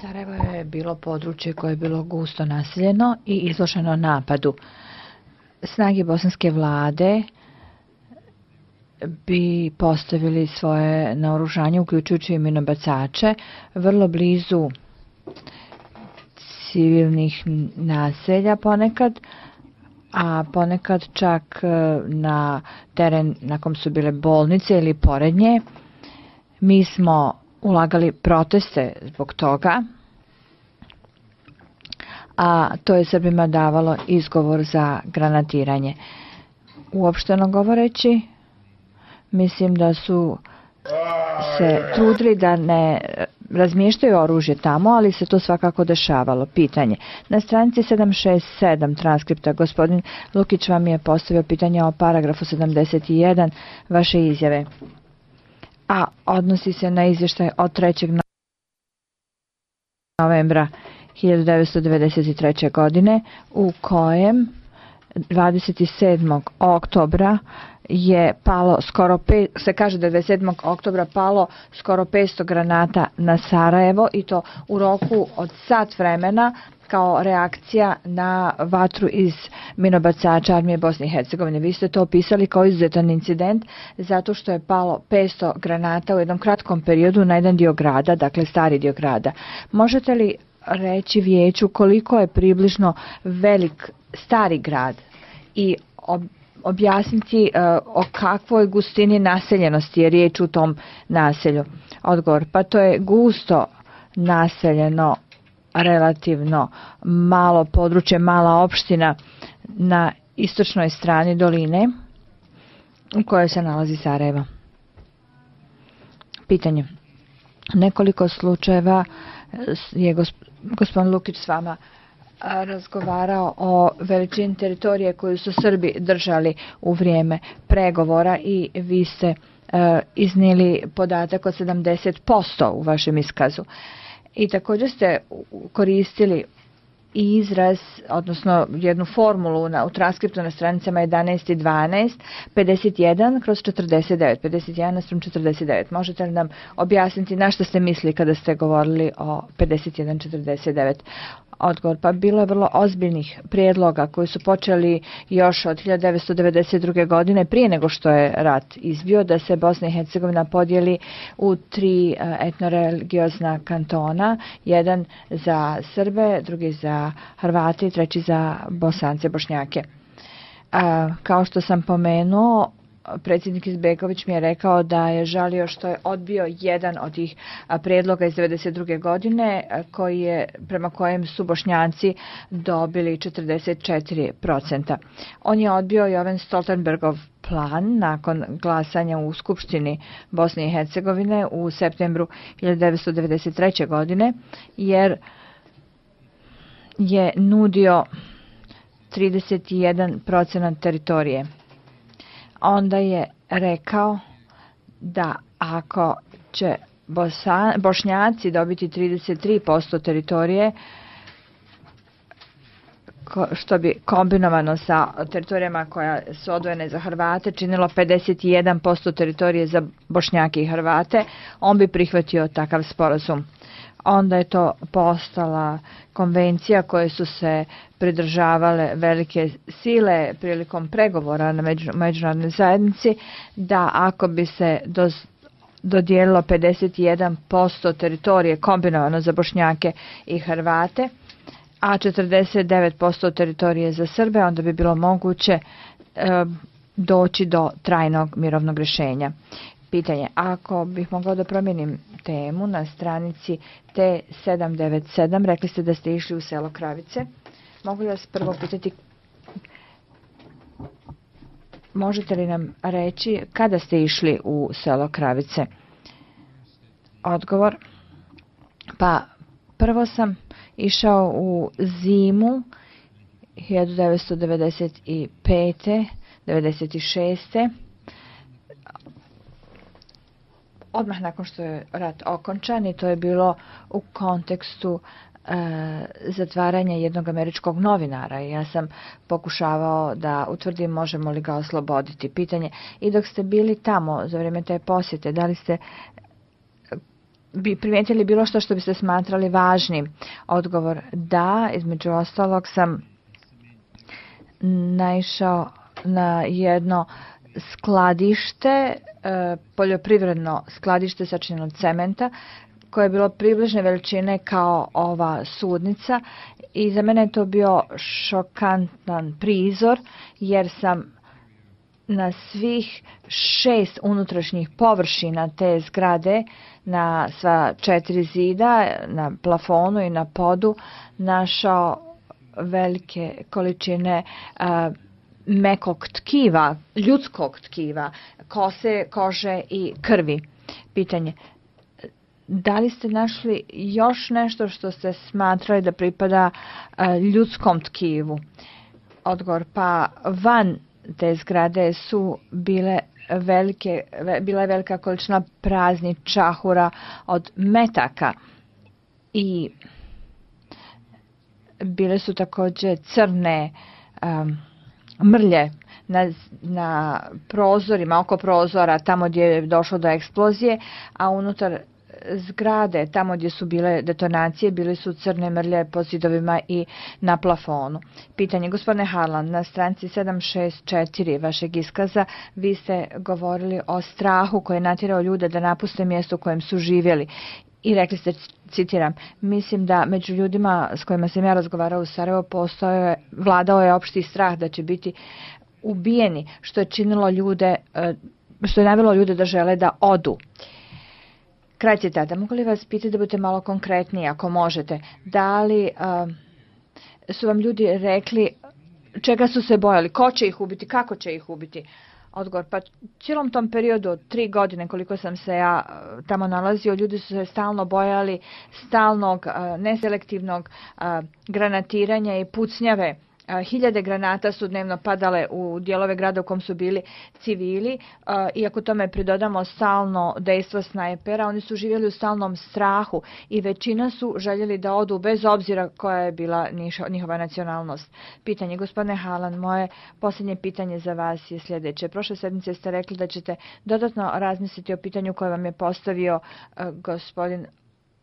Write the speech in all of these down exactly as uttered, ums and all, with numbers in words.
Sarajevo je bilo područje koje je bilo gusto naseljeno i izloženo napadu. Snage bosanske vlade bi postavili svoje naoružanje, uključujući i minobacače, vrlo blizu civilnih naselja ponekad, a ponekad čak na teren na kom su bile bolnice ili pored nje. Mi smo ulagali proteste zbog toga, a to je Srbima davalo izgovor za granatiranje. Uopšteno govoreći, mislim da su se trudili da ne razmještaju oružje tamo, ali se to svakako dešavalo. Pitanje. Na stranici sedamsto šezdeset sedam transkripta gospodin Lukić vam je postavio pitanje o paragrafu sedamdeset jedan vaše izjave, a odnosi se na izvještaj od trećeg novembra hiljadu devetsto devedeset treće. godine u kojem dvadeset sedmog oktobra je palo skoro pe, se kaže da je dvadeset sedmog oktobra palo skoro petsto granata na Sarajevo i to u roku od sat vremena kao reakcija na vatru iz minobacača armije Bosne i Hercegovine. Vi ste to opisali kao izuzetan incident zato što je palo petsto granata u jednom kratkom periodu na jedan dio grada, dakle stari dio grada. Možete li reći vijeću koliko je približno velik stari grad i ob, objasniti uh, o kakvoj gustini naseljenosti je riječ u tom naselju? Odgovor, pa to je gusto naseljeno, relativno malo područje, mala opština na istočnoj strani doline u kojoj se nalazi Sarajevo. Pitanje. Nekoliko slučajeva je gospodin Lukić s vama razgovarao o veličini teritorije koju su Srbi držali u vrijeme pregovora i vi ste uh, iznijeli podatak od sedamdeset posto u vašem iskazu. I također ste koristili izraz, odnosno jednu formulu na, u transkriptu na stranicama jedanaest i dvanaest, pedeset jedan kroz četrdeset devet, pedeset jedan naspram četrdeset devet. Možete li nam objasniti na što ste mislili kada ste govorili o pedeset jedan četrdeset devet? Odgovor, pa bilo je vrlo ozbiljnih prijedloga koji su počeli još od hiljadu devetsto devedeset druge. godine prije nego što je rat izbio, da se Bosna i Hercegovina podijeli u tri etnoreligiozna kantona, jedan za Srbe, drugi za Hrvate i treći za Bosance, Bošnjake. A, kao što sam pomenuo, predsjednik Izbegović mi je rekao da je žalio što je odbio jedan od tih prijedloga iz devedeset druge. godine koji je, prema kojem su Bošnjaci dobili četrdeset četiri posto. On je odbio i ovaj Stoltenbergov plan nakon glasanja u Skupštini Bosne i Hercegovine u septembru hiljadu devetsto devedeset treće. godine jer je nudio trideset jedan posto teritorije. Onda je rekao da ako će Bosa, Bošnjaci dobiti trideset tri posto teritorije, ko, što bi kombinovano sa teritorijama koja su odvojene za Hrvate činilo pedeset jedan posto teritorije za Bošnjake i Hrvate, on bi prihvatio takav sporazum. Onda je to postala konvencija koje su se pridržavale velike sile prilikom pregovora na među, međunarodnoj zajednici, da ako bi se do, dodijelilo pedeset jedan posto teritorije kombinovano za Bošnjake i Hrvate, a četrdeset devet posto teritorije za Srbe, onda bi bilo moguće e, doći do trajnog mirovnog rješenja. Pitanje, ako bih mogla da promijenim temu na stranici T sedam devet sedam, rekli ste da ste išli u selo Kravice. Mogu li vas prvo pitati, možete li nam reći kada ste išli u selo Kravice? Odgovor, pa prvo sam išao u zimu hiljadu devetsto devedeset pete. devedeset šeste. Odmah nakon što je rat okončan, i to je bilo u kontekstu e, zatvaranja jednog američkog novinara. Ja sam pokušavao da utvrdim možemo li ga osloboditi. Pitanje, i dok ste bili tamo za vrijeme te posjete, da li ste bi primijetili bilo što što biste smatrali važnim? Odgovor da, između ostalog sam naišao na jedno skladište, poljoprivredno skladište sačinjeno od cementa, koje je bilo približne veličine kao ova sudnica i za mene je to bio šokantan prizor jer sam na svih šest unutrašnjih površina te zgrade, na sva četiri zida, na plafonu i na podu, našao velike količine a, mekog tkiva, ljudskog tkiva, kose, kože i krvi. Pitanje, da li ste našli još nešto što ste smatrali da pripada a, ljudskom tkivu? Odgovor, pa van te zgrade su bile velike, bila je velika količina praznih čahura od metaka i bile su također crne um, mrlje na, na prozorima, oko prozora, tamo gdje je došlo do eksplozije, a unutar zgrade, tamo gdje su bile detonacije, bile su crne mrlje po zidovima i na plafonu. Pitanje, gospodine Harlan, na stranici sedam šest četiri vašeg iskaza vi ste govorili o strahu koji je natjerao ljude da napuste mjesto u kojem su živjeli. I rekli ste, citiram, mislim da među ljudima s kojima sam ja razgovarao u Sarajevo postoje, vladao je opšti strah da će biti ubijeni, što je činilo ljude, što je navelo ljude da žele da odu. Kraj citata. Mogu li vas pitati da budete malo konkretniji, ako možete? Da li uh, su vam ljudi rekli čega su se bojali? Ko će ih ubiti? Kako će ih ubiti? Odgovor, pa cijelom tom periodu od tri godine koliko sam se ja uh, tamo nalazio, ljudi su se stalno bojali stalnog, uh, neselektivnog uh, granatiranja i pucnjave. Hiljade granata su dnevno padale u dijelove grada u kom su bili civili. Iako tome pridodamo stalno dejstvo snajpera, oni su živjeli u stalnom strahu i većina su željeli da odu bez obzira koja je bila njihova nacionalnost. Pitanje, gospodine Halan, moje posljednje pitanje za vas je sljedeće. Prošle sedmice ste rekli da ćete dodatno razmisliti o pitanju koje vam je postavio gospodin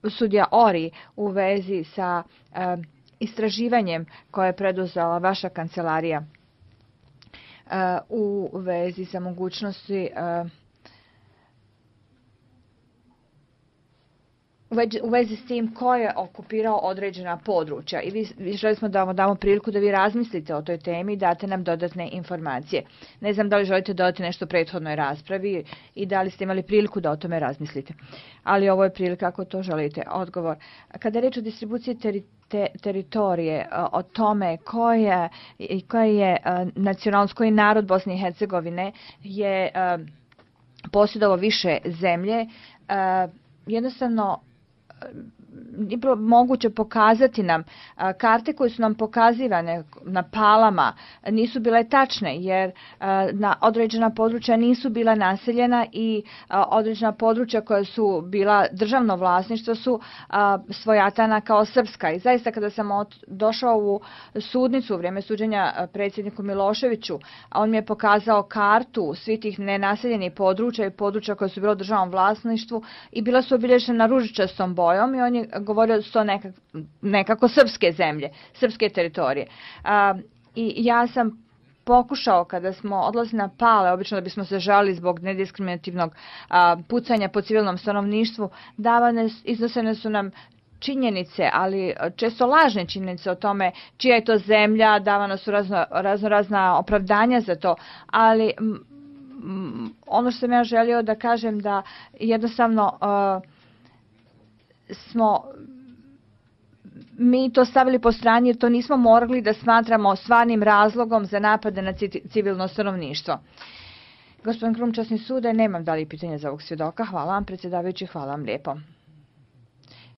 sudija Ori u vezi sa istraživanjem koje je preduzela vaša kancelarija uh, u vezi sa mogućnosti uh, u vezi s tim ko je okupirao određena područja i vi, vi želi smo da vam damo priliku da vi razmislite o toj temi i date nam dodatne informacije. Ne znam da li želite dodati nešto prethodnoj raspravi i da li ste imali priliku da o tome razmislite. Ali ovo je prilika ako to želite. Odgovor. Kada je reč o distribuciji teri, te, teritorije, o tome koja je, koja je nacionalnost, koji narod Bosne i Hercegovine je posjedovao više zemlje, jednostavno je bilo moguće pokazati nam a, karte koje su nam pokazivane na palama nisu bile tačne jer a, na određena područja nisu bila naseljena i a, određena područja koja su bila državno vlasništvo su a, svojatana kao srpska. I zaista kada sam od, došao u sudnicu u vrijeme suđenja predsjedniku Miloševiću, a on mi je pokazao kartu svih tih nenaseljenih područja i područja koja su bila u državnom vlasništvu i bila su obilježena na ružičastom bojom i on je govorio da su to nekako, nekako srpske zemlje, srpske teritorije. A, I ja sam pokušao kada smo odlazili na pale, obično da bismo se žalili zbog nediskriminativnog a, pucanja po civilnom stanovništvu, davane, iznosene su nam činjenice, ali često lažne činjenice o tome čija je to zemlja, davano su razno, razno razna opravdanja za to, ali m, m, ono što sam ja želio da kažem da jednostavno a, smo mi to stavili po strani jer to nismo morali da smatramo stvarnim razlogom za napade na civilno stanovništvo. Gospodin Krum, časni sude, nemam dalje pitanja za ovog svjedoka. Hvala vam, predsjedavajući, hvala vam lijepo.